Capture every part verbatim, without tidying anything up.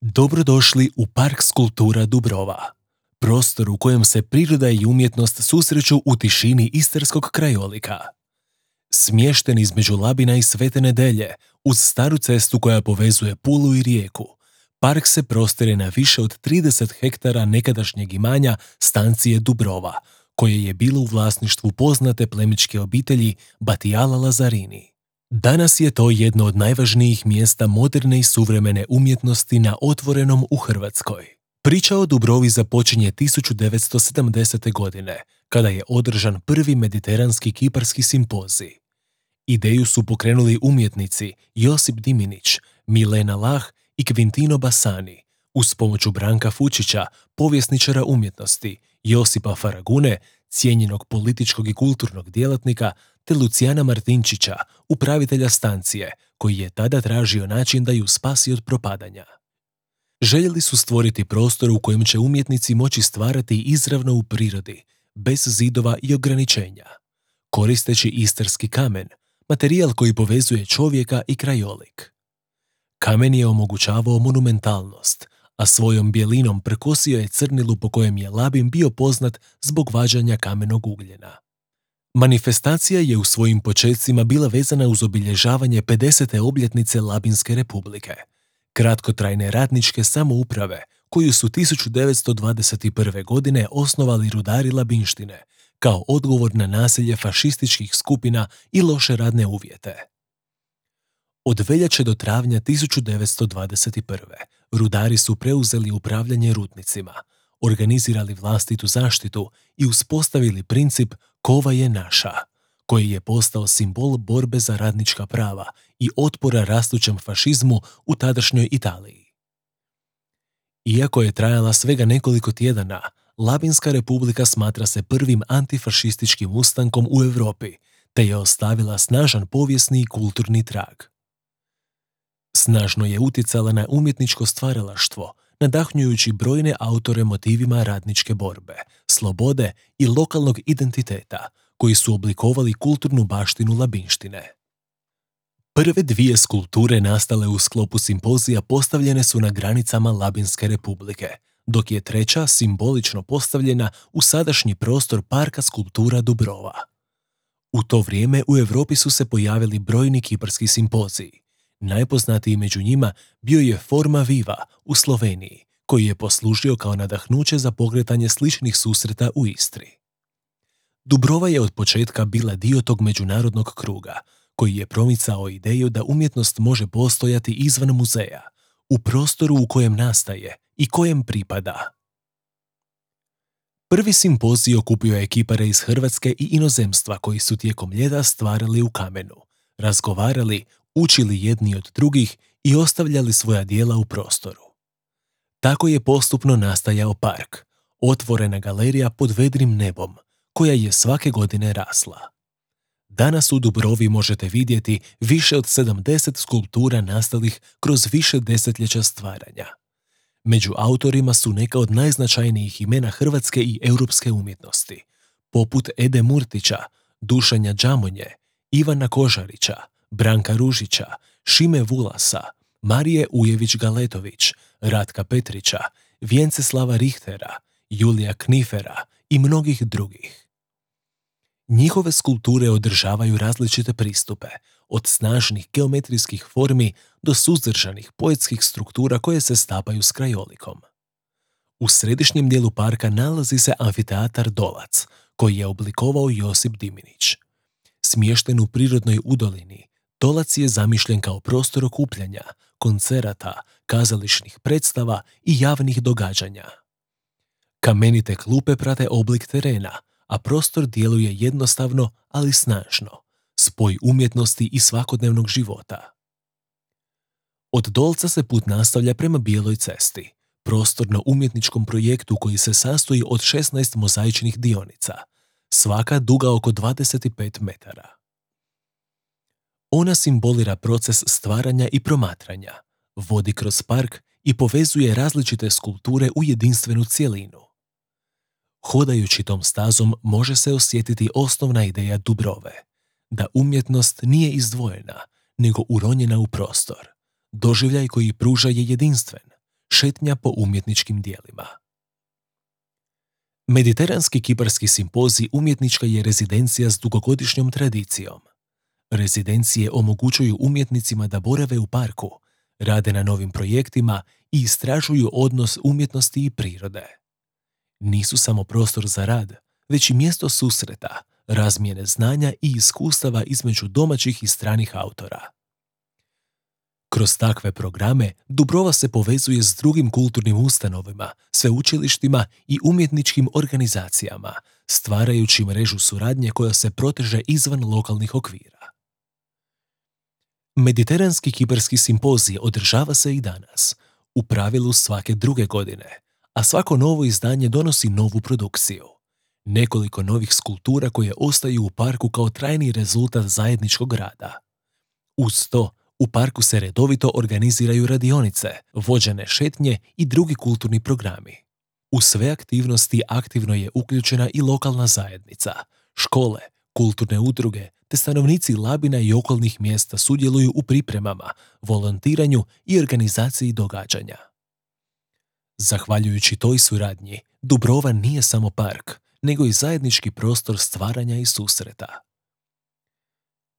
Dobrodošli u Park skulptura Dubrova, prostor u kojem se priroda i umjetnost susreću u tišini istarskog krajolika. Smješten između Labina i Svete Nedelje, uz staru cestu koja povezuje Pulu i Rijeku, park se prostire na više od trideset hektara nekadašnjeg imanja stancije Dubrova, koje je bilo u vlasništvu poznate plemićke obitelji Batijala Lazarini. Danas je to jedno od najvažnijih mjesta moderne i suvremene umjetnosti na otvorenom u Hrvatskoj. Priča o Dubrovi započinje tisuću devetsto sedamdesete. godine, kada je održan prvi mediteranski kiparski simpozij. Ideju su pokrenuli umjetnici Josip Diminić, Milena Lah i Quintino Bassani, uz pomoću Branka Fučića, povjesničara umjetnosti, Josipa Faragune, cijenjenog političkog i kulturnog djelatnika, te Lucijana Martinčića, upravitelja stancije, koji je tada tražio način da ju spasi od propadanja. Željeli su stvoriti prostor u kojem će umjetnici moći stvarati izravno u prirodi, bez zidova i ograničenja, koristeći istarski kamen, materijal koji povezuje čovjeka i krajolik. Kamen je omogućavao monumentalnost, a svojom bijelinom prekosio je crnilu po kojem je Labin bio poznat zbog vađanja kamenog ugljena. Manifestacija je u svojim počecima bila vezana uz obilježavanje pedesete obljetnice Labinske republike, kratkotrajne radničke samouprave koju su tisuću devetsto dvadeset prve. godine osnovali rudari Labinštine, kao odgovor na nasilje fašističkih skupina i loše radne uvjete. Od veljače do travnja tisuću devetsto dvadeset prve. rudari su preuzeli upravljanje rudnicima, organizirali vlastitu zaštitu i uspostavili princip "kova je naša", koji je postao simbol borbe za radnička prava i otpora rastućem fašizmu u tadašnjoj Italiji. Iako je trajala svega nekoliko tjedana, Labinska republika smatra se prvim antifašističkim ustankom u Europi, te je ostavila snažan povijesni i kulturni trag. Snažno je utjecala na umjetničko stvaralaštvo, nadahnjujući brojne autore motivima radničke borbe, slobode i lokalnog identiteta, koji su oblikovali kulturnu baštinu Labinštine. Prve dvije skulpture nastale u sklopu simpozija postavljene su na granicama Labinske republike, dok je treća simbolično postavljena u sadašnji prostor Parka skulptura Dubrova. U to vrijeme u Europi su se pojavili brojni kiparski simpoziji. Najpoznatiji među njima bio je Forma Viva u Sloveniji, koji je poslužio kao nadahnuće za pokretanje sličnih susreta u Istri. Dubrova je od početka bila dio tog međunarodnog kruga, koji je promicao ideju da umjetnost može postojati izvan muzeja, u prostoru u kojem nastaje i kojem pripada. Prvi simpozij okupio je kipare iz Hrvatske i inozemstva koji su tijekom ljeta stvarali u kamenu, razgovarali, učili jedni od drugih i ostavljali svoja djela u prostoru. Tako je postupno nastajao park, otvorena galerija pod vedrim nebom, koja je svake godine rasla. Danas u Dubrovi možete vidjeti više od sedamdeset skulptura nastalih kroz više desetljeća stvaranja. Među autorima su neka od najznačajnijih imena hrvatske i europske umjetnosti, poput Ede Murtića, Dušanja Đamonje, Ivana Kožarića, Branka Ružića, Šime Vulasa, Marije Ujević-Galetović, Ratka Petrića, Vjenceslava Richtera, Julija Knifera i mnogih drugih. Njihove skulpture održavaju različite pristupe, od snažnih geometrijskih formi do suzdržanih poetskih struktura koje se stapaju s krajolikom. U središnjem dijelu parka nalazi se amfiteatar Dolac, koji je oblikovao Josip Diminić. Smješten u prirodnoj udolini, Dolac je zamišljen kao prostor okupljanja, koncerata, kazališnih predstava i javnih događanja. Kamenite klupe prate oblik terena, a prostor djeluje jednostavno, ali snažno, spoj umjetnosti i svakodnevnog života. Od Dolca se put nastavlja prema Bijeloj cesti, prostorno-umjetničkom projektu koji se sastoji od šesnaest mozaičnih dionica, svaka duga oko dvadeset pet metara. Ona simbolira proces stvaranja i promatranja, vodi kroz park i povezuje različite skulpture u jedinstvenu cjelinu. Hodajući tom stazom može se osjetiti osnovna ideja Dubrove, da umjetnost nije izdvojena, nego uronjena u prostor. Doživljaj koji pruža je jedinstven, šetnja po umjetničkim dijelima. Mediteranski kiparski simpozij umjetnička je rezidencija s dugogodišnjom tradicijom. Rezidencije omogućuju umjetnicima da borave u parku, rade na novim projektima i istražuju odnos umjetnosti i prirode. Nisu samo prostor za rad, već i mjesto susreta, razmjene znanja i iskustava između domaćih i stranih autora. Kroz takve programe Dubrova se povezuje s drugim kulturnim ustanovima, sveučilištima i umjetničkim organizacijama, stvarajući mrežu suradnje koja se proteže izvan lokalnih okvira. Mediteranski kiparski simpozij održava se i danas, u pravilu svake druge godine, a svako novo izdanje donosi novu produkciju. Nekoliko novih skulptura koje ostaju u parku kao trajni rezultat zajedničkog rada. Uz to, u parku se redovito organiziraju radionice, vođene šetnje i drugi kulturni programi. U sve aktivnosti aktivno je uključena i lokalna zajednica, škole, kulturne udruge, te stanovnici Labina i okolnih mjesta sudjeluju u pripremama, volontiranju i organizaciji događanja. Zahvaljujući toj suradnji, Dubrova nije samo park, nego i zajednički prostor stvaranja i susreta.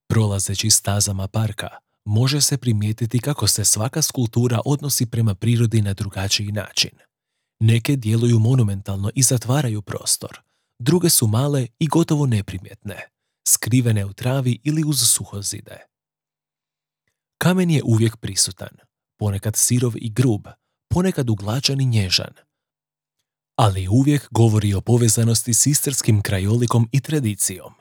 Prolazeći stazama parka, može se primijetiti kako se svaka skulptura odnosi prema prirodi na drugačiji način. Neke djeluju monumentalno i zatvaraju prostor, druge su male i gotovo neprimjetne, skrivene u travi ili uz suhozide. Kamen je uvijek prisutan, ponekad sirov i grub, ponekad uglačan i nježan, ali uvijek govori o povezanosti s istarskim krajolikom i tradicijom.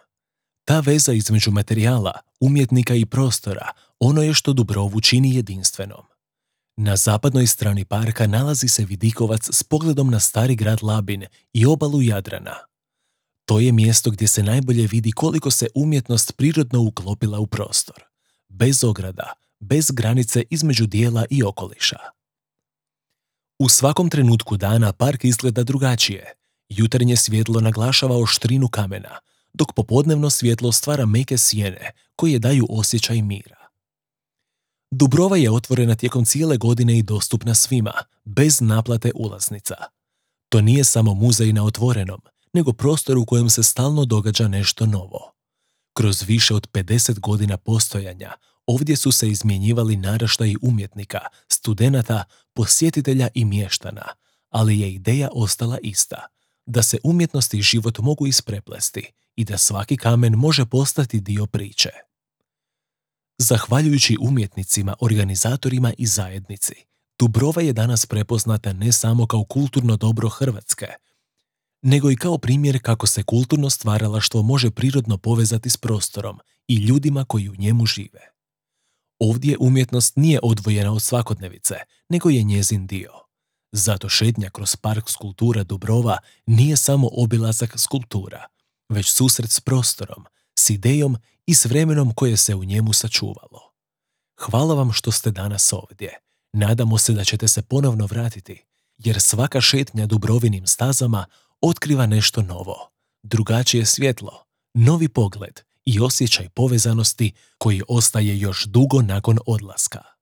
Ta veza između materijala, umjetnika i prostora, ono je što Dubrovu čini jedinstvenom. Na zapadnoj strani parka nalazi se vidikovac s pogledom na stari grad Labin i obalu Jadrana. To je mjesto gdje se najbolje vidi koliko se umjetnost prirodno uklopila u prostor, bez ograda, bez granice između dijela i okoliša. U svakom trenutku dana park izgleda drugačije. Jutarnje svjetlo naglašava oštrinu kamena, dok popodnevno svjetlo stvara meke sjene koje daju osjećaj mira. Dubrova je otvorena tijekom cijele godine i dostupna svima, bez naplate ulaznica. To nije samo muzej na otvorenom, nego prostor u kojem se stalno događa nešto novo. Kroz više od pedeset godina postojanja, ovdje su se izmjenjivali naraštaji umjetnika, studenata, posjetitelja i mještana, ali je ideja ostala ista, da se umjetnost i život mogu ispreplesti i da svaki kamen može postati dio priče. Zahvaljujući umjetnicima, organizatorima i zajednici, Dubrova je danas prepoznata ne samo kao kulturno dobro Hrvatske, nego i kao primjer kako se kulturno stvaralaštvo može prirodno povezati s prostorom i ljudima koji u njemu žive. Ovdje umjetnost nije odvojena od svakodnevice, nego je njezin dio. Zato šetnja kroz park skulptura Dubrova nije samo obilazak skulptura, već susret s prostorom, s idejom i s vremenom koje se u njemu sačuvalo. Hvala vam što ste danas ovdje. Nadamo se da ćete se ponovno vratiti, jer svaka šetnja Dubrovinim stazama otkriva nešto novo, drugačije svjetlo, novi pogled i osjećaj povezanosti koji ostaje još dugo nakon odlaska.